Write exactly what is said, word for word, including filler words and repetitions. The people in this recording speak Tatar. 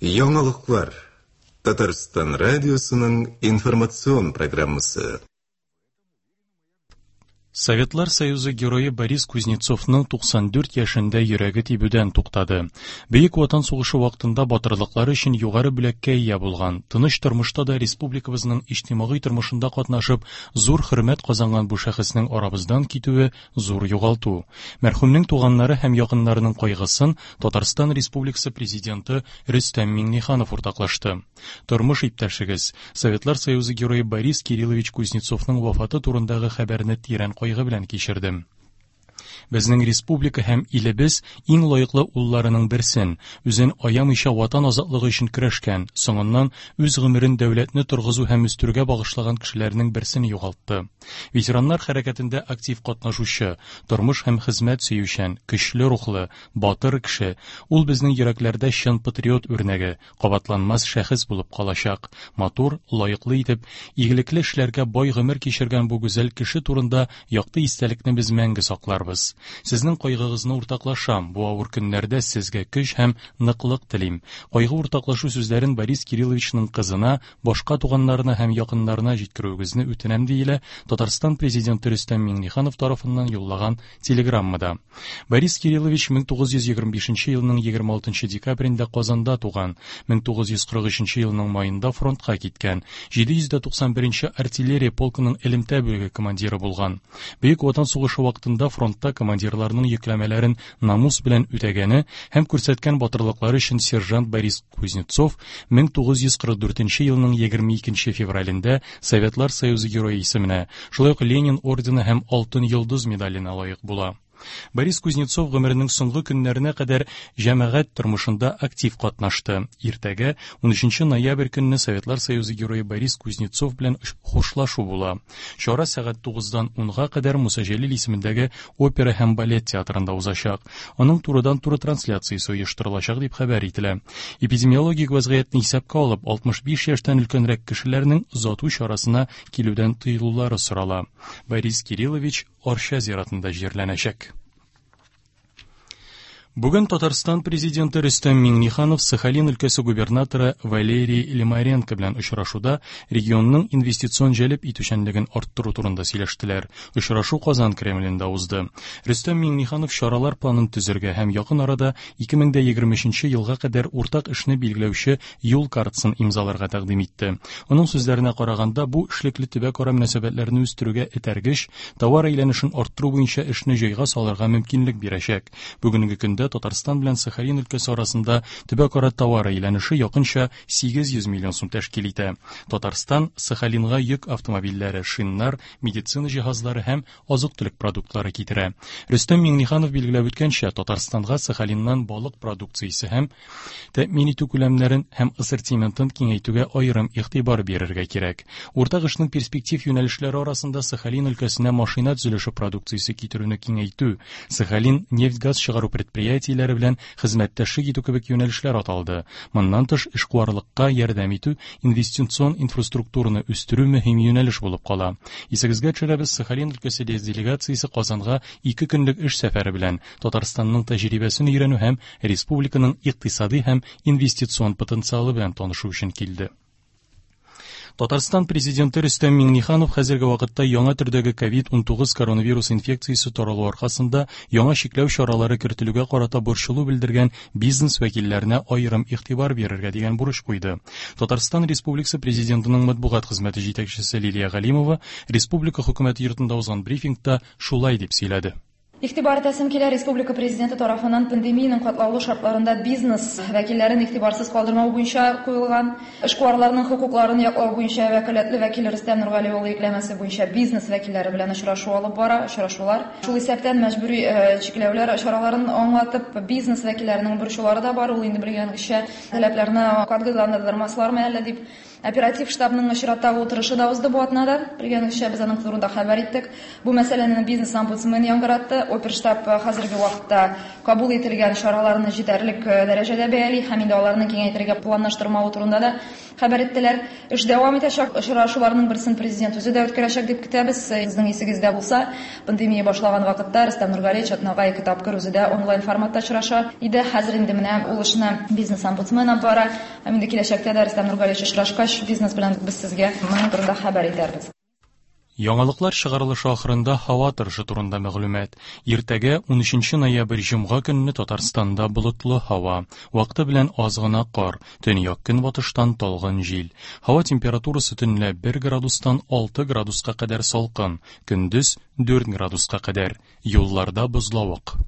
Яңалыклар. Татарстан радиосының информацион программасы. Советлар Союзы герое Борис Кузнецовның туксан дүрт яшендә йөрәге тибүдән туктады. Бөек Ватан сугышы вакытында батырлыклары өчен югары бүләккә ия булган, тыныч тормышта да республикабызның иҗтимагый тормышында катнашып, зур хөрмәт казанган бу шәхеснең арабыздан китүе зур югалту. Мәрхүмнең туганнары һәм якыннарының кайгысын Татарстан Республикасы президенты Рөстәм Миңнеханов уртаклашты. Тормыш иптәшегез, Советлар Союзы герое Борис Кириллович Кузнецовның вафаты турындагы хәбәрне тирән кайгы белән кичердем. Безнең республика һәм илебез иң лаеклы улларының берсен, үзен аямыйча ватан азатлыгы өчен көрәшкән, соңыннан үз гомерен дәүләтне торгызу һәм үстерүгә багышлаган кешеләрнең берсен югалтты. Ветераннар хәрәкәтендә актив катнашучы, тормыш һәм хезмәт сөючән, көчле рухлы, батыр кеше, ул безнең йөрәкләрдә чын патриот үрнәге, кабатланмас шәхес булып калачак. Матур, лаеклы итеп, игелекле эшләргә бай гомер кичергән бу гүзәл кеше турында якты истәлекне без мәңге сакларбыз. Сезнең кайгыгызны уртаклашам, бу авыр көннәрдә сезгә көч һәм ныклык телим. Кайгы уртаклашу сүзләрен Борис Кирилловичның кызына, башка туганнарына һәм якыннарына җиткерүегезне үтенәм, диелә Татарстан президенты Рөстәм Миңнеханов тарафыннан юллаган телеграммада. Борис Кириллович мең тугыз йөз егерме бишенче елның егерме алтынчы декабрендә Казанда туган, мең тугыз йөз кырык өченче елның маенда фронтка киткән, җиде йөз дә туксан беренче артиллерия полкының элемтә бүлеге командиры булган. Бөек Ватан сугышы вакытында фронтта командирларның йөкләмәләрен намус белән үтәгәне һәм күрсәткән батырлыклары өчен сержант Борис Кузнецов мең тугыз йөз кырык дүртенче елның егерме икенче февралендә Советлар Союзы герое исеменә, шулай ук Ленин ордены һәм Алтын йолдыз медаленә лаек була. Борис Кузнецов гомеренең соңгы көннәренә кадәр җәмәгать тормышында актив катнашты. Иртәгә ун өченче ноябрь көнне Советлар Союзы герое Борис Кузнецов белән хушлашу була. Чара сәгать тугыздан унга кадәр Муса Җәлил исемендәге опера һәм балет театрында узачак. Аның турыдан-туры трансляциясе оештырылачак дип хәбәр ителә. Эпидемиологик вазгыятьне исәпкә алып, алтмыш биш яшьтән өлкәнрәк кешеләрнең озату чарасына килүдән тыелулары сорала. Борис Кириллович Арча зиратында җирләнәчәк. Бүген Татарстан президенты Рөстәм Миңнеханов Сахалин өлкәсе губернаторы Валерий Лимаренко белән очрашуда регионның инвестицион җәлеп итүчәнлеген арттыру турында сөйләштеләр. Очрашу Казан Кремлендә узды. Рөстәм Миңнеханов чаралар планын төзергә һәм якын арада ике мең дә егерме өченче елга кадәр уртак эшне билгеләүче юл картасын имзаларга тәкъдим итте. Аның сүзләренә караганда, бу эшлекле төбәкара мөнәсәбәтләрне үстерүгә этәргеч, товар әйләнешен арттыру буенча эшне җайга салырга мөмкинлек бирәчәк. Бүгенге көндә Татарстан белән Сахалин өлкәсе арасында төбәкара товар әйләнеше якынча сигез йөз миллион сум тәшкил итә. Татарстан Сахалинга йөк автомобильләре, шиннар, медицина җиһазлары һәм азык-төлек продуктлары китерә. Рөстәм Миңнеханов билгеләп үткәнчә, Татарстанга Сахалиннан балык продукциясе һәм тәэмин итү күләмнәрен һәм ассортиментын киңәйтүгә аерым игътибар бирергә кирәк. Уртак эшнең перспектив юнәлешләре арасында Сахалин өлкәсенә машина төзелеше продукциясе китерүне киңәйтү, Сахалин нефть-газ чыгару предприятиеләре белән хезмәттәшлек итү кебек юнәлешләр аталды. Моннан тыш, эшкуарлыкка ярдәм итү, инвестицион инфраструктураны үстерү мөһим юнәлеш булып кала. Исегезгә төшерәбез, Сахалин өлкәсе делегациясе Казанга ике көнлек эш сәфәре белән Татарстанның тәҗрибәсен өйрәнү һәм республиканың икътисади һәм инвестицион потенциалы белән танышу өчен килде. Татарстан президенты Рөстәм Миңнеханов хәзерге вакытта яңа төрдәге ковид унтугыз коронавирус инфекциясе таралу аркасында яңа чикләү чаралары кертелүгә карата борчылу белдергән бизнес вәкилләренә аерым игътибар бирергә дигән бурыч куйды. Татарстан Республикасы президентының матбугат хезмәте җитәкчесе Лилия Галимова республика хөкүмәте йортында узган брифингта шулай дип сөйләде. Игътибар итәсем килә, республика президенты тарафыннан пандемиянең катлаулы шартларында бизнес вәкилләрен игътибарсыз калдырмау буенча куелган, эшкуарларның хокукларын яклау буенча вәкаләтле вәкил Рөстәм Нургали улы йөкләмәсе буенча бизнес вәкилләре белән очрашу алып бара, очрашулар. Шул исәптән мәҗбүри, э, чикләүләр чараларын аңлатып, бизнес вәкилләренең борчулары да бар, ул инде белгәнчә таләпләрне катгыйландырмаслармы әллә дип. Оператив штабның чираттагы утырышы да узды бу атнада. Белгәнегезчә, без аның турында хәбәр иттек. Бу мәсьәләне бизнес омбудсмены яңгыратты. Оперштаб хәзерге вакытта кабул ителгән чараларны җитәрлек дәрәҗәдә бәяли һәм инде аларны киңәйтергә планлаштырмавы турында да хәбәр иттеләр. Эш дәвам итәчәк. Очрашуларның берсен президент үзе дә үткәрәчәк дип көтәбез. Сезнең исегездә булса, пандемия башлаган вакытта Рөстәм Нургалиевич атнага ике тапкыр үзе дә онлайн форматта очраша иде. Хәзер инде менә ул эшне бизнес-омбудсмен алып бара. Һәм инде киләчәктә дә Рөстәм Нургалиевич очрашкач, бизнес белән без сезгә моның турында хәбәр итәрбез. Яңалыклар чыгарылышы ахырында һава торышы турында мәгълүмат. Иртәгә унөченче ноябрь җомга көнне Татарстанда болытлы һава, вакыты белән аз гына кар, төньяк көнбатыштан талгын җил. Һава температурасы төнлә бер градустан алты градуска кадәр салкын, көндез дүрт градуска кадәр. Юлларда бозлавык.